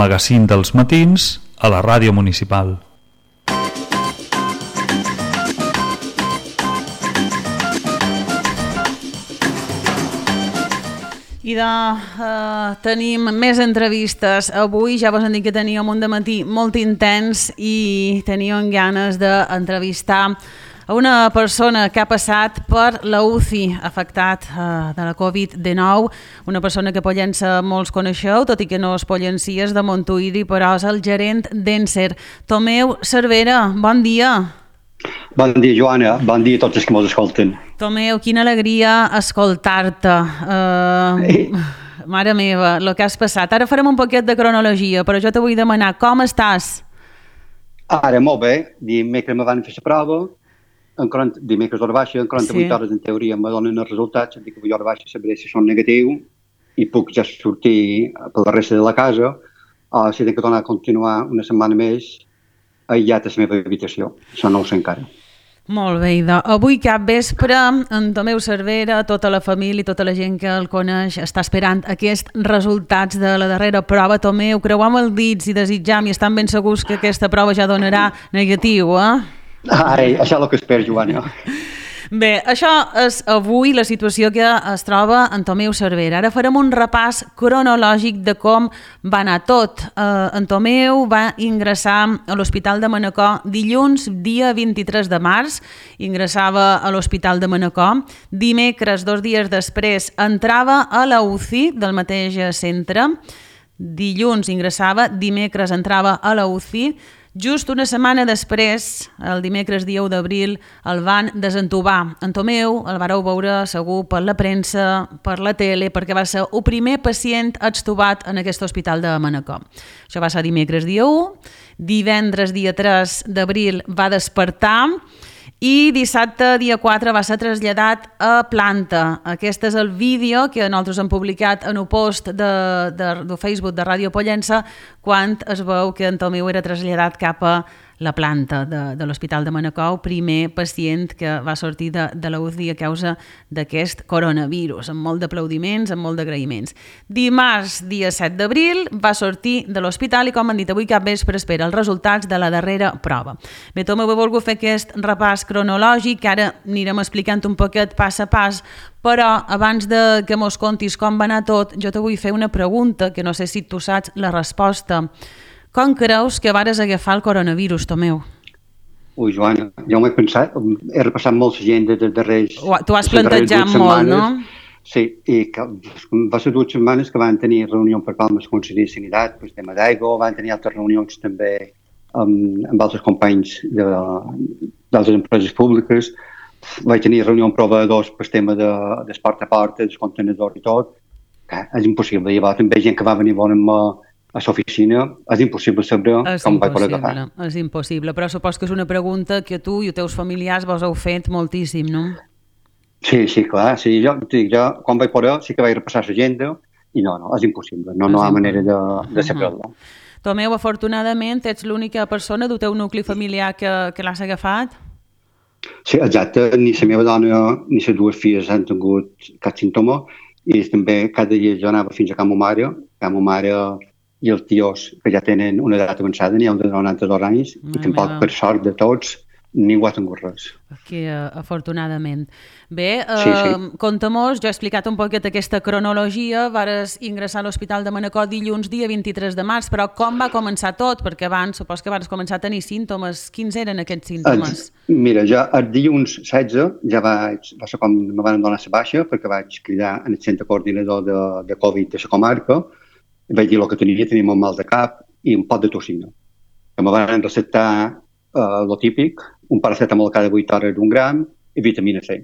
Magazín dels matins a la ràdio municipal. I tenim més entrevistes. Avui ja vos han dit que teníem un dematí molt intens i teníem ganes d'entrevistar a una persona que ha passat per la UCI, afectat de la Covid-19, una persona que Pollença molts coneixeu, tot i que no és pollencies de Montuïri, però és el gerent d'Encer. Tomeu Cervera, bon dia. Bon dia, Joana. Bon dia a tots els que ens escolten. Tomeu, quina alegria escoltar-te. Mare meva, el que has passat. Ara farem un poquet de cronologia, però jo te vull demanar, com estàs? Ara, molt bé. Dimecres me van fer la prova, dimecres hora baixa, en 48 hores en teoria me donen els resultats, dic que avui hora baixa sabré si són negatius i puc ja sortir per la resta de la casa, o si tinc que tornar a continuar una setmana més aïllat a la meva habitació. Això no ho sé encara. Molt bé, idò. Avui cap vespre, en Tomeu Cervera, tota la família, tota la gent que el coneix, està esperant aquests resultats de la darrera prova. Tomeu, creuam els dits i desitjam i estan ben segurs que aquesta prova ja donarà negatiu, Ai, això és el que espero, Joana. Bé, això és avui la situació que es troba en Tomeu Cervera. Ara farem un repàs cronològic de com va anar tot. En Tomeu va ingressar a l'Hospital de Manacor dilluns, dia 23 de març. Ingressava a l'Hospital de Manacor. Dimecres, 2 dies després, entrava a la UCI del mateix centre. Dilluns ingressava, dimecres entrava a la UCI. Just una setmana després, el dimecres dia 1 d'abril, el van desentubar. En Tomeu el vareu veure segur per la premsa, per la tele, perquè va ser el primer pacient extubat en aquest hospital de Manacor. Això va ser dimecres dia 1, divendres dia 3 d'abril va despertar i dissabte dia 4 va ser traslladat a planta. Aquest és el vídeo que nosaltres hem publicat en el post de Facebook de Ràdio Pollença quan es veu que en Tomeu era traslladat cap a la planta de l'Hospital de Manacor, primer pacient que va sortir de la UCI a causa d'aquest coronavirus, amb molt d'aplaudiments, amb molt d'agraïments. Dimarts, dia 7 d'abril, va sortir de l'hospital i, com han dit avui cap vespre, espera els resultats de la darrera prova. Bé, Tomeu, he volgut fer aquest repàs cronològic, ara anirem explicant un poquet pas a pas, però abans de que mos contis com va anar tot, jo te vull fer una pregunta que no sé si tu saps la resposta. Com creus que vares agafar el coronavirus, Tomeu? Ui, Joana, ja m'ho he pensat. He repassat molta gent de darrers... T'ho has plantejat molt, no? Sí, i va ser 2 setmanes que van tenir reunions per Palmes Conseller de Sanitat, el tema d'aigua, van tenir altres reunions també amb altres companys d'altres empreses públiques. Vaig tenir reunió amb proveïdors per tema d'esport a porta, dels contenedors i tot. És impossible. Llavors també gent que va venir a l'oficina, és impossible saber com vaig poder agafar. És impossible, però supos que és una pregunta que tu i els teus familiars vos heu fet moltíssim, no? Sí, clar. Sí, jo quan vaig poder sí que vaig repassar l'agenda i no, és impossible. No hi ha manera de saber-la. Tomeu, afortunadament, ets l'única persona del teu nucli familiar que l'has agafat? Sí, exacte. Ni la meva dona ni les 2 filles han tingut cap símptoma i també cada dia jo anava fins a Ca ma mare i els tios que ja tenen una edat avançada, n'hi ha un de 92 anys, i tampoc, per sort de tots, ningú ha tingut res. Que afortunadament. Bé, sí. Conta-mos, jo he explicat un poquet aquesta cronologia, vares ingressar a l'Hospital de Manacor dilluns dia 23 de març, però com va començar tot? Perquè abans, supos que vares començar a tenir símptomes. Quins eren aquests símptomes? Mira, jo el dilluns 16 ja va ser quan me van donar la baixa, perquè vaig cridar en el centre coordinador de Covid de la comarca, i vaig dir el que tenia molt mal de cap i un pot de toxina. Que me van receptar el típic, un paracetamol cada 8 hores d'1 gram i vitamina C.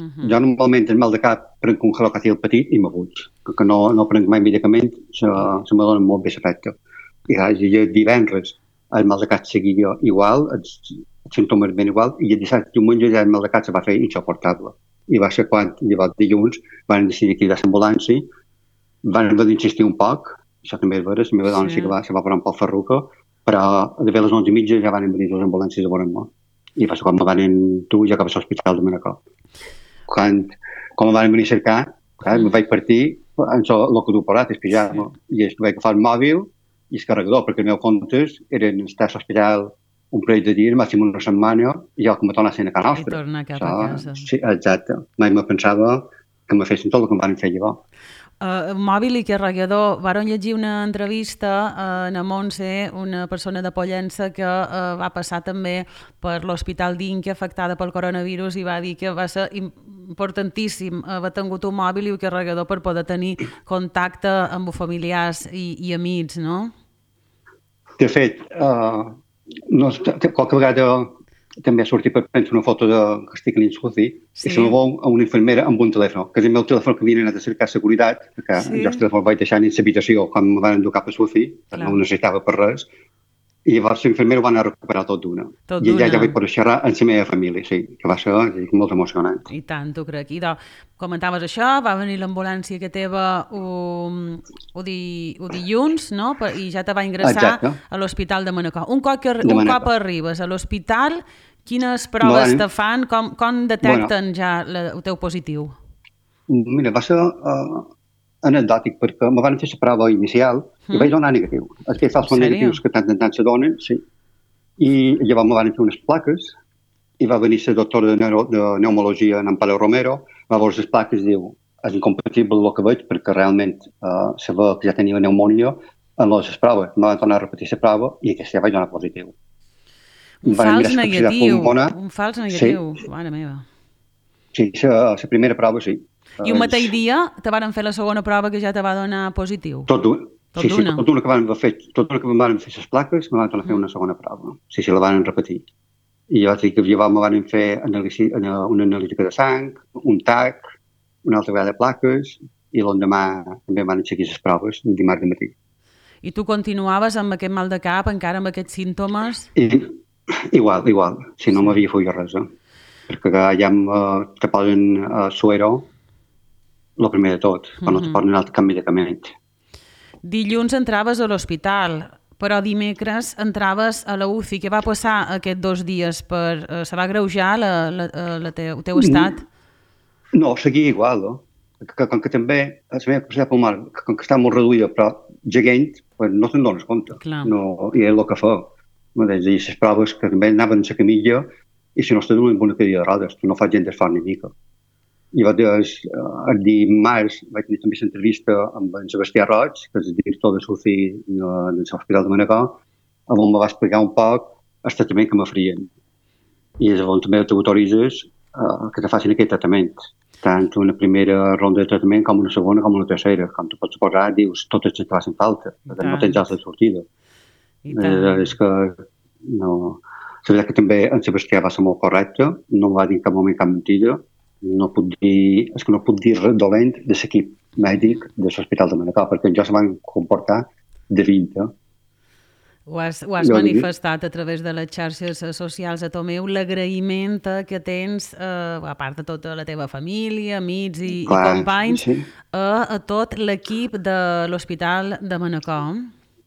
Jo normalment el mal de cap prenc un Halocatil petit i m'aguig, que no prenc mai medicament, se me dona molt bé l'efecte. I divendres el mal de cap seguia igual, els símptomes ben igual, i el dissabte diumenge ja el mal de cap se va fer insuportable. I va ser quan, llavors dilluns, van decidir cridar l'ambulància, van haver d'insistir un poc, això també és veres, la meva dona sí que se va parar un poc ferruca, però a les 11:30 ja van venir les ambulàncies a veure'm. I va ser quan me van dur ja cap a l'Hospital de Manacor. Quan me van venir a cercar, me vaig partir, el que du parat, el pijama, i vaig agafar el mòbil, i el carregador, perquè els meus comptes eren estar a l'hospital un parell de dies, màxim una setmana, i jo que me tornassin a casa nostra. I tornar cap a casa. Sí, exacte. Mai me pensava que me fessin tot el que em van fer llavors. Mòbil i carregador. Varen llegir una entrevista a Montse, una persona de Pollença que va passar també per l'Hospital d'Inca afectada pel coronavirus i va dir que va ser importantíssim haver tingut un mòbil i un carregador per poder tenir contacte amb familiars i amics, no? De fet, qualque vegada també ha sortit, penso, una foto que estic a l'Insuci i se me veu a una infermera amb un telèfon, que és el meu telèfon que havia anat a cercar seguretat, perquè jo el telèfon el vaig deixar en l'habitació quan me van endur cap a Sufi, no ho necessitava per res, i llavors l'infermera ho va anar a recuperar tot d'una. I ja vaig poder xerrar amb la meva família, sí, que va ser molt emocionant. I tant, t'ho crec. I comentaves això, va venir l'ambulància que teva dilluns, no? I ja te va ingressar a l'Hospital de Manacor. Un cop arribes a l'hospital, quines proves te fan? Com detecten ja el teu positiu? Mira, va ser anecdòtic, perquè me van fer la prova inicial i vaig donar negatiu. Aquells falsos negatius que tant en tant se donen, sí. I llavors me van fer unes plaques i va venir la doctora de pneumologia, en Amparo Romero, va veure les plaques i diu, és incompatible el que veig perquè realment se veu que ja tenia pneumònia en les proves. Me van tornar a repetir la prova i aquesta ja vaig donar positiu. Un fals negatiu, mare meva. Sí, la primera prova sí. I un mateix dia te van fer la segona prova que ja te va donar positiu? Tot d'una. Sí, tot d'una que van fer les plaques, me van tornar a fer una segona prova. Sí, la van repetir. I jo vaig dir que me van fer una analítica de sang, un TAC, una altra vegada de plaques, i l'endemà també van aixecar les proves, el dimarts de matí. I tu continuaves amb aquest mal de cap, encara amb aquests símptomes? Igual. Si no m'havia fet res, perquè ja te posen suero, el primer de tot, però no te posen un altre cap medicament. Dilluns entraves a l'hospital, però dimecres entraves a la UCI. Què va passar aquests 2 dies? Se va agreujar el teu estat? No, seguia igual, no? Com que també la meva capacitat pulmonar, com que està molt reduïda, però gegant, no te'n dones compte. No, i és el que fa. Les proves que també anaven a la camilla i si no estàs en una cadira de rodes, tu no fas gent d'esforç ni mica. I el dimarts vaig tenir també l'entrevista amb en Sebastià Roig, que és el director de SUCI de l'Hospital de Manacor, on me va explicar un poc el tractament que m'oferien. I llavors també t'autoritzes que te facin aquest tractament, tant una primera ronda de tractament com una segona com una tercera. Com tu pots suposar, dius totes les que facin falta, no tens altra sortida. És que no... La veritat que també en Sebastià va ser molt correcte, no va dir en cap moment cap mentida, no puc dir res dolent de l'equip mèdic de l'Hospital de Manacor, perquè jo se van comportar de 20. Ho has manifestat a través de les xarxes socials a Tomeu, l'agraïment que tens, a part de tota la teva família, amics i companys, a tot l'equip de l'Hospital de Manacor.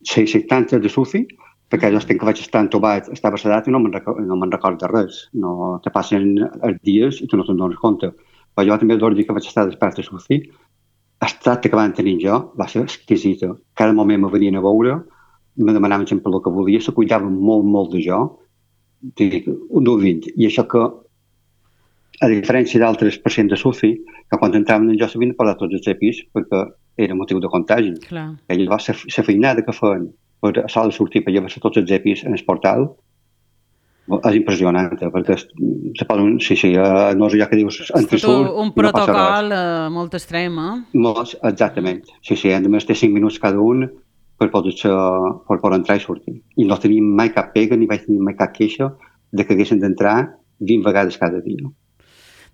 Sí, tant de SUFI, perquè jo que vaig estar entobat, estava sedat i no me'n recordo de res. No te passen els dies i tu no te'n dones compte. Però jo també el dia que vaig estar despert de SUFI, el tracte que van tenir jo va ser exquisita. Cada moment me venien a veure, me demanaven sempre el que volia, se cuidaven molt de jo. Un 20. I això que, a diferència d'altres pacients de SUFI, que quan entraven en jo s'havien de parlar tots els EPIs perquè era motiu de contagi. I llavors la feinada que feien per a sola sortir per llevar-se tots els EPIs en el portal és impressionant, perquè se poden, no és allò que dius entresurt, un protocol molt extrem, exactament. A més té 5 minuts cada un per poder entrar i sortir. I no tenim mai cap pega ni vaig tenir mai cap queixa de que haguessin d'entrar 20 vegades cada dia.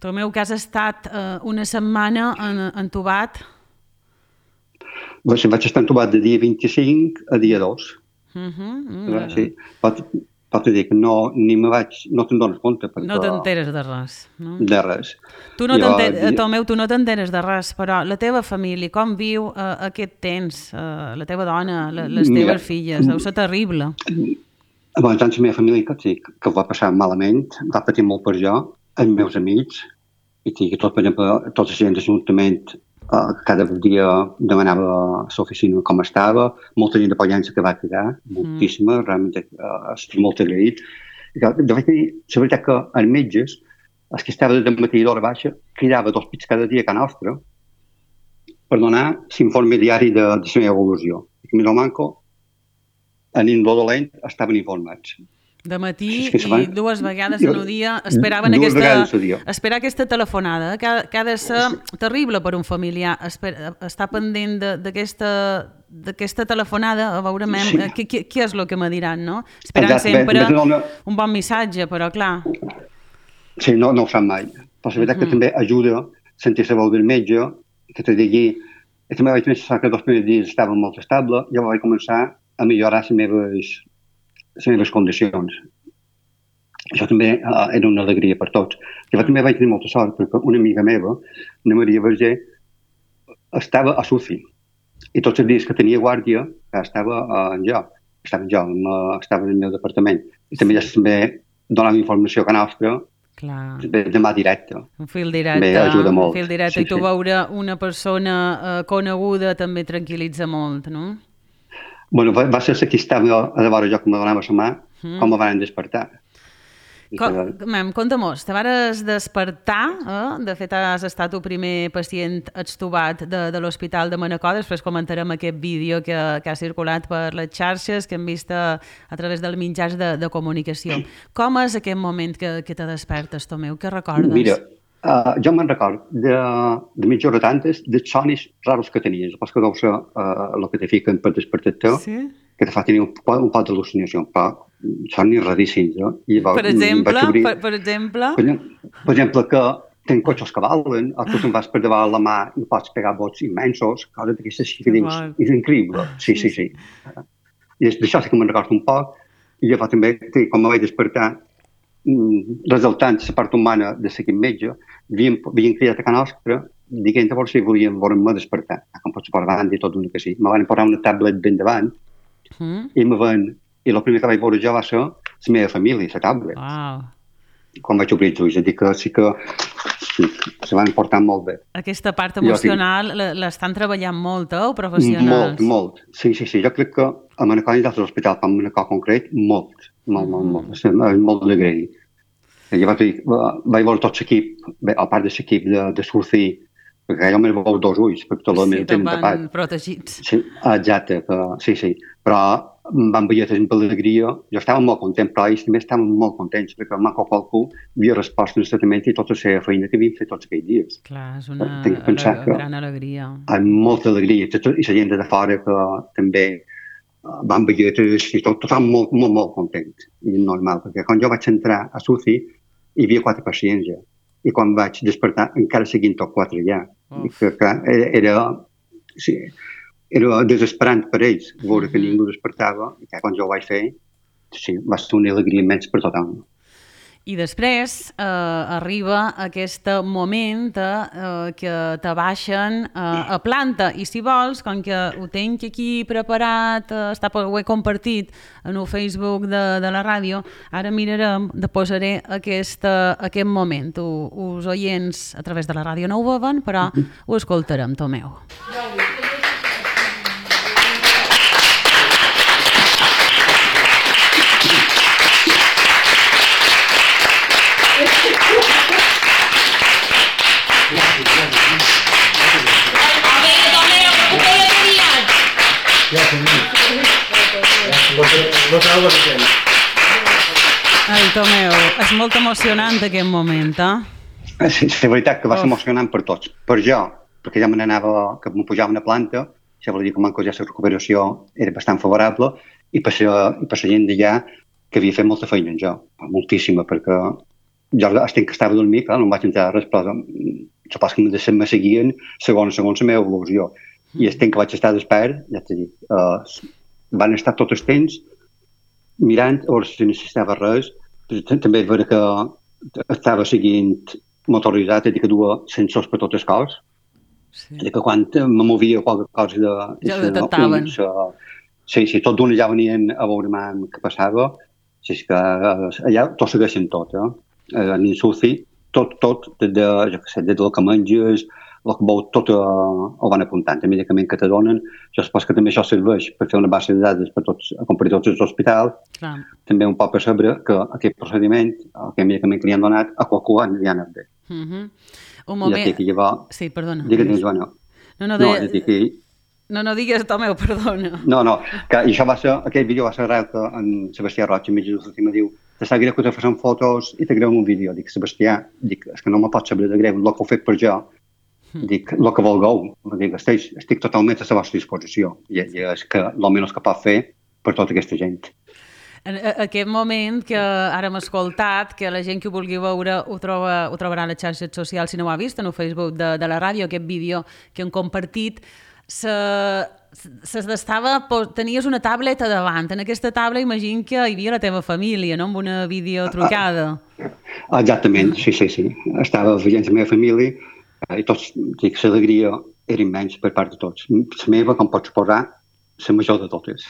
Tomeu, que has estat una setmana entubat? Vaig estar entubat de dia 25 a dia 2. Sí. Pot dir que no te'n dones compte. No t'enteres de res. De res. Tomeu, tu no t'enteres de res, però la teva família, com viu aquest temps? La teva dona, les teves filles, deu ser terrible. Tant la meva família que ho va passar malament, va patir molt per jo, els meus amics, i tots, per exemple, tots els gent de l'Ajuntament cada dia demanava a l'oficina com estava, molta gent de Pollença que va quedar, moltíssima, realment estic molt agraït. De fet, la veritat que els metges, els que estava de matí d'hora baixa, cridava 2 pits cada dia a casa nostra per donar l'informe diari de la meva evolució. I més o manco, en el dolent estaven informats. De matí i 2 vegades en un dia esperaven esperar aquesta telefonada, que ha de ser terrible per un familiar, estar pendent d'aquesta telefonada, a veure què és el que me diran, no? Esperant sempre un bon missatge, però clar. Sí, no ho sap mai. Però la veritat que també ajuda a sentir la veu del metge, que te digui... També vaig pensar que 2 primers dies estava molt estable, i vaig començar a millorar les meves condicions. Això també era una alegria per tots. Jo també vaig tenir molta sort, perquè una amiga meva, una Maria Verger, estava a Sufi. I tots els dies que tenia guàrdia, estava en el meu departament. I també donava informació a nostra, de mà directa. Un fil directe. Ajuda molt. Un fil directe. I tu veure una persona coneguda també tranquil·litza molt, no? Bueno, va ser la que estava a davant jo que me donava la mà, com me van despertar. Conta-mos, te vares despertar, de fet has estat el primer pacient extubat de l'Hospital de Manacor, després comentarem aquest vídeo que ha circulat per les xarxes, que hem vist a través dels mitjans de comunicació. Com és aquest moment que te despertes, Tomeu? Què recordes? Mira, jo me'n record de mitja hora tantes dels sonis raros que tenies, pas que deu ser el que te fiquen per despertar-te, que te fa tenir un pot d'al·lucinació, sonis raríssims. Per exemple? Per exemple, que tens cotxes que valen, o tu te'n vas per davant la mà i pots pegar bots immensos, coses d'aquestes que dius, és increïble. Sí. I d'això sí que me'n recordo un poc, i jo també, quan me vaig despertar, resultant la part humana de l'equip metge, havien cridat a casa nostra, dient a veure si volien veure-me despertar. Com pots per davant i tot una que sí. Me van posar una tablet ben davant, i el primer que vaig veure jo va ser la meva família, la tablet. Quan vaig obrir els ulls, és dir que sí que se van portar molt bé. Aquesta part emocional l'estan treballant molt, professionals? Molt. Sí. Jo crec que a Manacor i d'altres hospitals, com a Manacor concret, molt. És molt d'agrair. Jo vaig veure tot l'equip, a part de l'equip de Surfi, perquè jo me'n veu 2 ulls, perquè tot el meu tenen tapat. Sí, protegits. Sí, exacte, sí. Però van veure amb alegria. Jo estava molt content, però ells també estaven molt contents, perquè manco qualcú havia respost en el tractament i tota la feina que havien fet tots aquells dies. Clar, és una gran alegria. Amb molta alegria. I la gent de fora que també van veure i tot estaven molt contents. I normal, perquè quan jo vaig entrar a SUCI hi havia 4 pacients ja. I quan vaig despertar encara seguien tots 4 allà. Era desesperant per ells veure que ningú despertava i quan jo ho vaig fer va ser una alegria immens per tothom. I després arriba aquest moment que te baixen a planta i si vols, com que ho tinc aquí preparat, ho he compartit en el Facebook de la ràdio, ara mirarem, posaré aquest moment. Els oients a través de la ràdio no ho veuen, però ho escoltarem, Tomeu. Ai, Tomeu, és molt emocionant aquest moment, Sí, és veritat que va ser emocionant per tots. Per jo, perquè ja me n'anava, que m'ho pujaven a planta, això vol dir que ja la recuperació era bastant favorable, i per la gent d'allà que havia fet molta feina en jo, moltíssima, perquè jo estic que estava a dormir, clar, no em vaig entrar res, però supos que me seguien segons la meva evolució. I el temps que vaig estar despert, ja t'he dit, van estar tot el temps mirant a veure si necessitava res, també veure que estava seguint motoritzat, que duia sensors per tot el cos, que quan me movia qualque cosa ja ho detectaven. Sí, tot d'una ja venien a veure què passava, és que allà tot segueixen tot, en el SUCI, tot, des del que menges, el que veu tot ho van apuntant, el medicament que te donen. Jo supos que també això serveix per fer una base de dades per tots els hospitals. Clar. També un poc per saber que aquest procediment, aquest medicament que li han donat, a qualcú li han anat bé. Un moment... I que llavors... Sí, perdona. Digues, Joana. No, digues, Tomeu, perdona. No, que això va ser, aquest vídeo va ser arrel que en Sebastià Roig, en metge d'última, diu te sap greu que te facin fotos i te greuen un vídeo. Dic, Sebastià, és que no me pot saber de greu, el que ho fet per jo, dic, el que vulgueu, dic, estic totalment a la vostra disposició i és que almenys que pot fer per tota aquesta gent. En aquest moment que ara hem escoltat, que la gent que ho vulgui veure ho trobarà a les xarxes socials si no ho ha vist, en el Facebook de la ràdio, aquest vídeo que hem compartit, tenies una tableta davant. En aquesta taula imagino que hi havia la teva família, no? Amb una videotrucada. Exactament, sí. Estava veient la meva família i tots, dic, l'alegria era immens per part de tots. La meva, com pots suposar, la major de totes.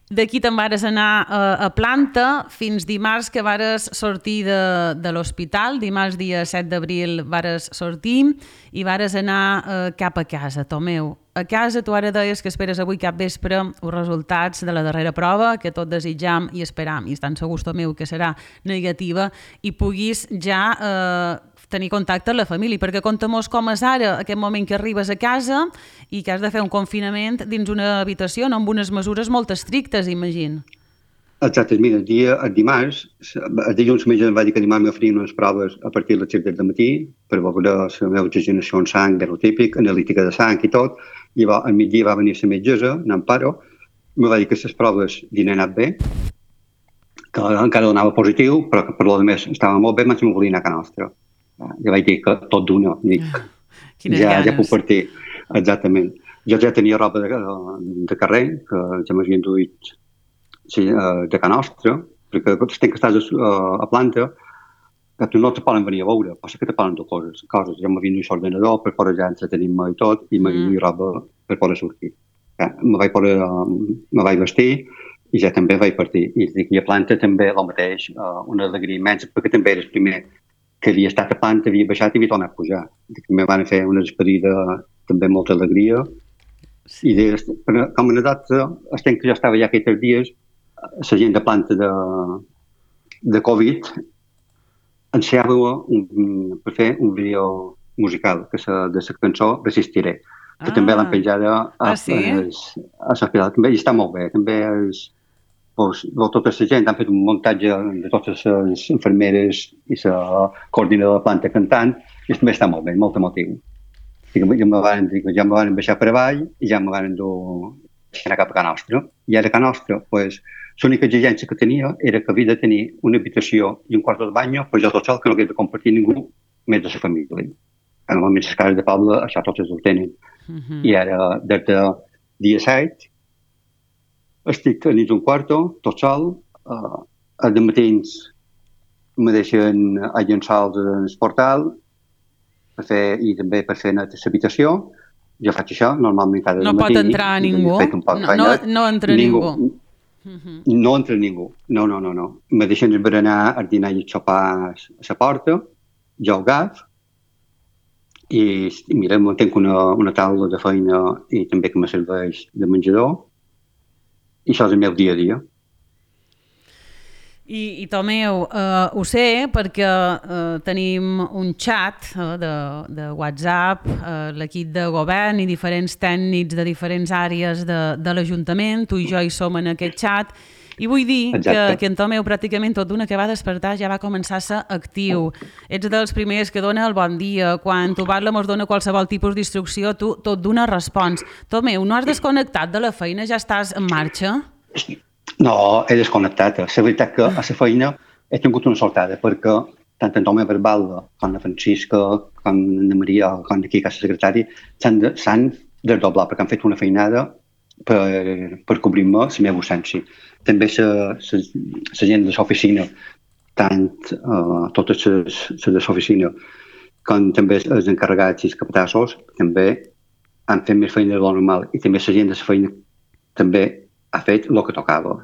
D'aquí te'n vares anar a Planta fins dimarts que vares sortir de l'hospital. Dimarts, dia 7 d'abril, vares sortir i vares anar cap a casa, Tomeu. A casa tu ara deies que esperes avui cap vespre els resultats de la darrera prova, que tot desitjam i esperam, i estan segurs, Tomeu, que serà negativa, i puguis ja tenir contacte amb la família, perquè conta-mos com és ara aquest moment que arribes a casa i que has de fer un confinament dins una habitació, no? Amb unes mesures molt estrictes, imagino. Exacte, mira, el dimarts, el dilluns el metge em va dir que dimarts m'oferien unes proves a partir de les 7 del matí per veure la meva oxigenació en sang, de lo típic, analítica de sang i tot, i al migdia va venir la metgessa, n'Amparo, em va dir que les proves havien anat bé, que encara donava positiu, però que per lo més estava molt bé, menys me volia anar a casa nostra. Ja vaig dir que tot d'una, dic, ja puc partir, exactament. Jo ja tenia roba de carrer, que ja m'havien duit de casa nostra, perquè tens que estar a Planta, que tu no te poden venir a veure, passa que te poden dur coses. Ja m'havien duit l'ordenador per poder ja entretenir-me i tot, i m'havien duit roba per poder sortir. Me vaig vestir i ja també vaig partir. I a Planta també el mateix, una alegria immensa, perquè també era el primer que havia estat a Planta, havia baixat i havia tornat a pujar. També van fer una despedida també amb molta alegria. I com a anedota, estem que jo estava ja aquests dies, la gent de Planta de Covid ensenyava per fer un vídeo musical de la cançó Resistiré, que també l'han penjada a l'hospital. També està molt bé. També tota la gent han fet un muntatge de totes les infermeres i la coordinadora de Planta cantant i també està molt bé, molt emotiu. Ja me van baixar per avall i ja me van anar cap a casa nostra. I ara a casa nostra, l'única exigència que tenia era que havia de tenir una habitació i un quart de bany, però jo tot sol, que no havia de compartir ningú més de la família. Normalment les cases de poble això totes ho tenen. I ara, des del dia 7, estic a nit un quarto, tot sol, als matins me deixen a llençols en el portal i també per fer net l'habitació. Jo faig això, normalment cada matí. No pot entrar ningú? No entra ningú? No entra ningú, no. Me deixen berenar, el dinar i el sopar a la porta, jo ho agaf, i mira, tinc una taula de feina i també que me serveix de menjador, i això és el meu dia a dia. I Tomeu, ho sé perquè tenim un xat de WhatsApp, l'equip de govern i diferents tècnics de diferents àrees de l'Ajuntament, tu i jo hi som en aquest xat, i vull dir que en Tomeu pràcticament tot d'una que va despertar ja va començar a ser actiu. Ets dels primers que dona el bon dia, quan tu parla mos dona qualsevol tipus d'instrucció, tu tot d'una respons. Tomeu, no has desconnectat de la feina, ja estàs en marxa? No, he desconnectat. La veritat que a la feina he tingut una sortada, perquè tant en Tomeu Barbalda com la Francisca, com la Maria, com aquí que és secretari, s'han desdoblat perquè han fet una feinada per cobrir-me la meva ausència. També la gent de l'oficina, tant totes les de l'oficina com també els encarregats i els capatassos, també han fet més feina de lo normal, i també la gent de la feina també ha fet el que tocava.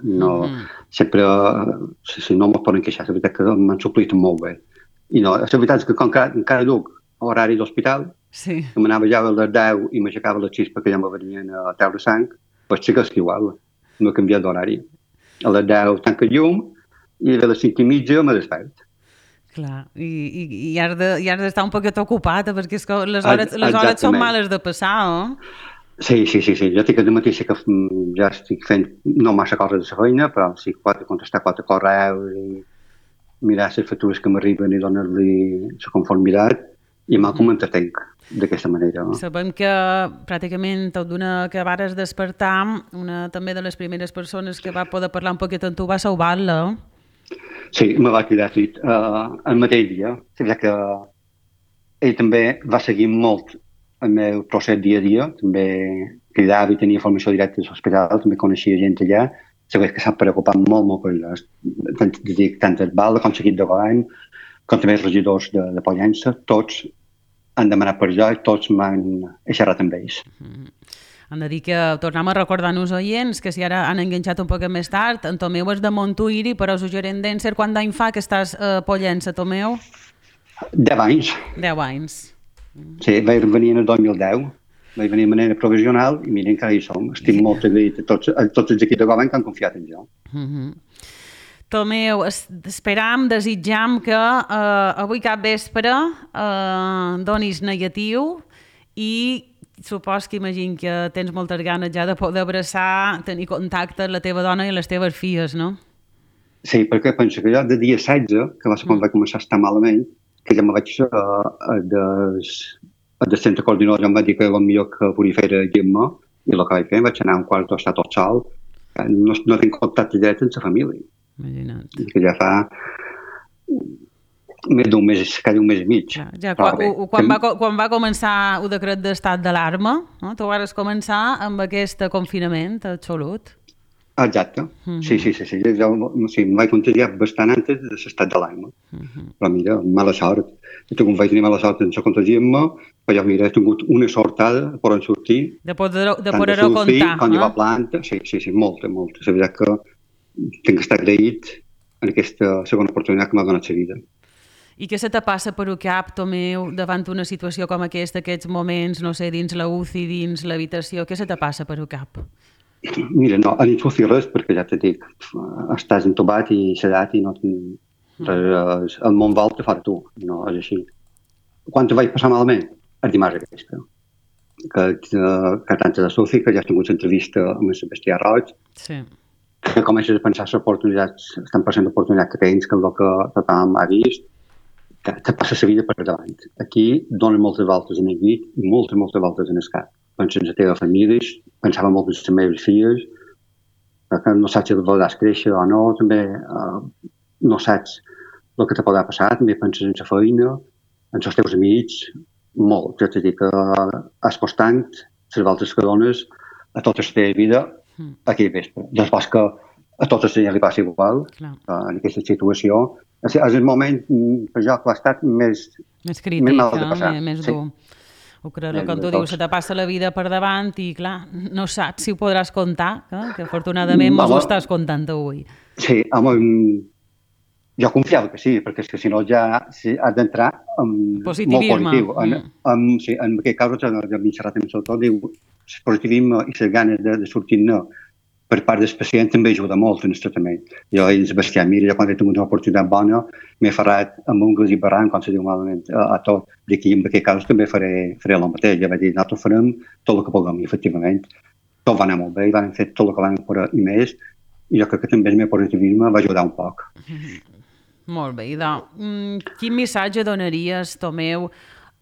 Sempre, si no me'n poden queixar, la veritat que m'han suplit molt bé. I no, la veritat és que com encara duc horari d'hospital, Sí. Que m'anava ja a les 10 i m'aixecava a les 6 perquè ja me venien a treure sang, pues sí que és igual, no he canviat d'horari. A les 10 tanca el llum i a les 5:30 me despert. Clar, i has d'estar un poquet ocupat, perquè és que les hores són males de passar, Sí. Jo tinc el matí sí que ja estic fent no massa coses de la feina, però sí que pot contestar 4 correus i mirar les factures que m'arriben i donar-li la conformitat i mal com m'entretenc d'aquesta manera. Sabem que pràcticament tot d'una que vares despertar, una també de les primeres persones que va poder parlar un poquet amb tu va ser Ubalda. Sí, me va cridar el mateix dia. Ja que ell també va seguir molt el meu procés dia a dia, també cridava i tenia informació directa de l'hospital, també coneixia gent allà, sabés que s'han preocupat molt per les, tant el Balda com l'equip de govern, com també els regidors de Pollença, tots han demanat per jo i tots m'han xerrat amb ells. Hem de dir que tornem a recordar-nos oients que si ara han enganxat un poc més tard, en Tomeu és de Montuïri, però us gerent d'Encer, quant d'any fa que estàs a Pollença, Tomeu? 10 anys. 10 anys. Sí, vaig venir en el 2010, vaig venir de manera provisional i miren que ara hi som. Estic molt agraït a tots els equips de govern que han confiat en jo. Tomeu, esperam, desitjam que avui cap vespre donis negatiu i supos que imagino que tens moltes ganes ja de poder abraçar, tenir contacte amb la teva dona i les teves filles, no? Sí, perquè penso que jo de dia 16, que va ser quan vaig començar a estar malament, que ja me vaig del centre coordinador, ja em va dir que era millor que podia fer gent-me, i el que vaig fer, vaig anar a un quart d'estar tot sol, no tinc contacte directe amb la família. Imagina't. Que ja fa més d'un mes, quasi un mes i mig. Ja, quan va començar el decret d'estat d'alarma, no? Tu vas començar amb aquest confinament absolut. Exacte, sí. Jo em vaig contagiar bastant antes de l'estat d'alarma. Però mira, mala sort. Jo vaig tenir mala sort sense contagiar-me, però jo mira, he tingut una sortada de poder sortir. De poder-ho contar. Quan hi va planta, sí, molta. És veritat que tinc que estar agraït en aquesta segona oportunitat que m'ha donat la vida. I què se te passa per el cap, Tomeu, davant una situació com aquesta, aquests moments, no sé, dins la UCI, dins l'habitació, què se te passa per el cap? Mira, no, a ningú fer res, perquè ja te dic, estàs entobat i sedat i no el món vol te fa tu, no és així. Quan te vaig passar malament? El dimarts aquesta. Que tant de Sofi, que ja has tingut l'entrevista amb el Sebastià Roig, sí. Que comences a pensar les oportunitats, estan passant l'oportunitat que tens, que és el que tothom ha vist, que te passa la vida per davant. Aquí donen moltes voltes en el llit i moltes voltes en el cap. Pensa en la teva família, pensava molt en les meves filles, que no saps si voldràs créixer o no, també no saps el que te podrà passar, també penses en la feina, en els teus amics, molt. Jo t'he dit que apostant les voltes que dones a tota la teva vida aquell vespre. Després que a totes ja li passa igual, en aquesta situació. És el moment per jo que ha estat més crític, mal de passar. Més dur. Ho crec, com tu dius, se te passa la vida per davant i, clar, no saps si ho podràs comptar, que afortunadament mos ho estàs comptant avui. Sí, home, jo confiava que sí, perquè si no ja has d'entrar amb positivisme. Molt positiu. En aquest cas, ja m'he xerrat amb el diu, el positivisme i les ganes de sortir-ne per part del pacient també ajuda molt en el tractament. Jo i el Sebastià, mira, jo quan he tingut una oportunitat bona m'he ferrat amb ungles i barranc, com se diu malament, a tot. D'aquí, en aquest cas, també faré el mateix. Ja vaig dir, nosaltres farem tot el que puguem, i efectivament tot va anar molt bé, i van fer tot el que van poder i més, i jo crec que també el meu positivisme va ajudar un poc. Molt bé, quin missatge donaries, Tomeu,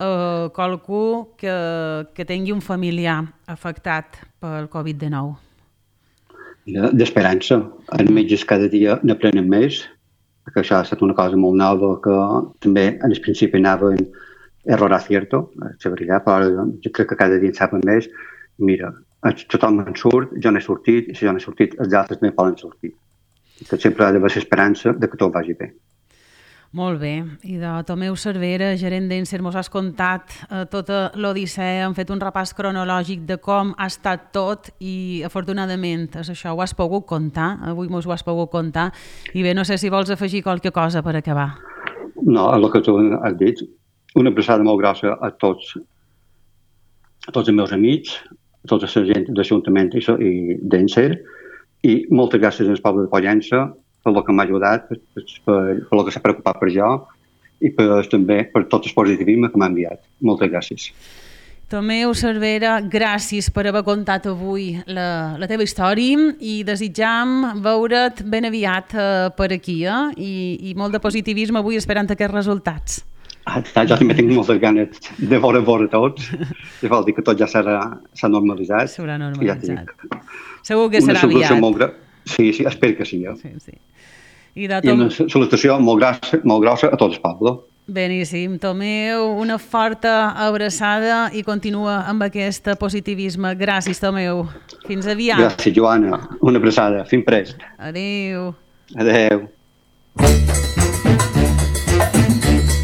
a qualcú que tingui un familiar afectat pel Covid-19? D'esperança. Els metges cada dia n'aprenen més, perquè això ha estat una cosa molt nova que també en el principi anaven error acierto, és veritat, però jo crec que cada dia en saben més. Mira, tothom en surt, jo n'he sortit, i si jo n'he sortit, els altres també poden sortir. Que sempre ha d'haver l'esperança de que tot vagi bé. Molt bé, i de Tomeu Cervera, gerent d'Encer, mos has contat tota l'odissea, hem fet un repàs cronològic de com ha estat tot i afortunadament això ho has pogut contar, avui mos ho has pogut contar, i bé, no sé si vols afegir qualque cosa per acabar. No, el que tu has dit, una abraçada molt grossa a tots a tots els meus amics, a tota la gent de l'Ajuntament i d'Encer, i moltes gràcies al poble de Pollença per el que m'ha ajudat, per el que s'ha preocupat per jo i també per tot el positivisme que m'ha enviat. Moltes gràcies. Tomeu Cervera, gràcies per haver contat avui la teva història i desitjam veure't ben aviat per aquí, i molt de positivisme avui esperant aquests resultats. Jo també tinc moltes ganes de veure tots, i vol dir que tot ja s'ha normalitzat. S'haurà normalitzat. Segur que serà aviat. Sí, espero que sí. Sí. I una salutació molt grossa a tot el poble. Beníssim. Tomeu, una forta abraçada i continua amb aquest positivisme. Gràcies, Tomeu. Fins aviat. Gràcies, Joana. Una abraçada. Fins prest. Adéu. Adéu.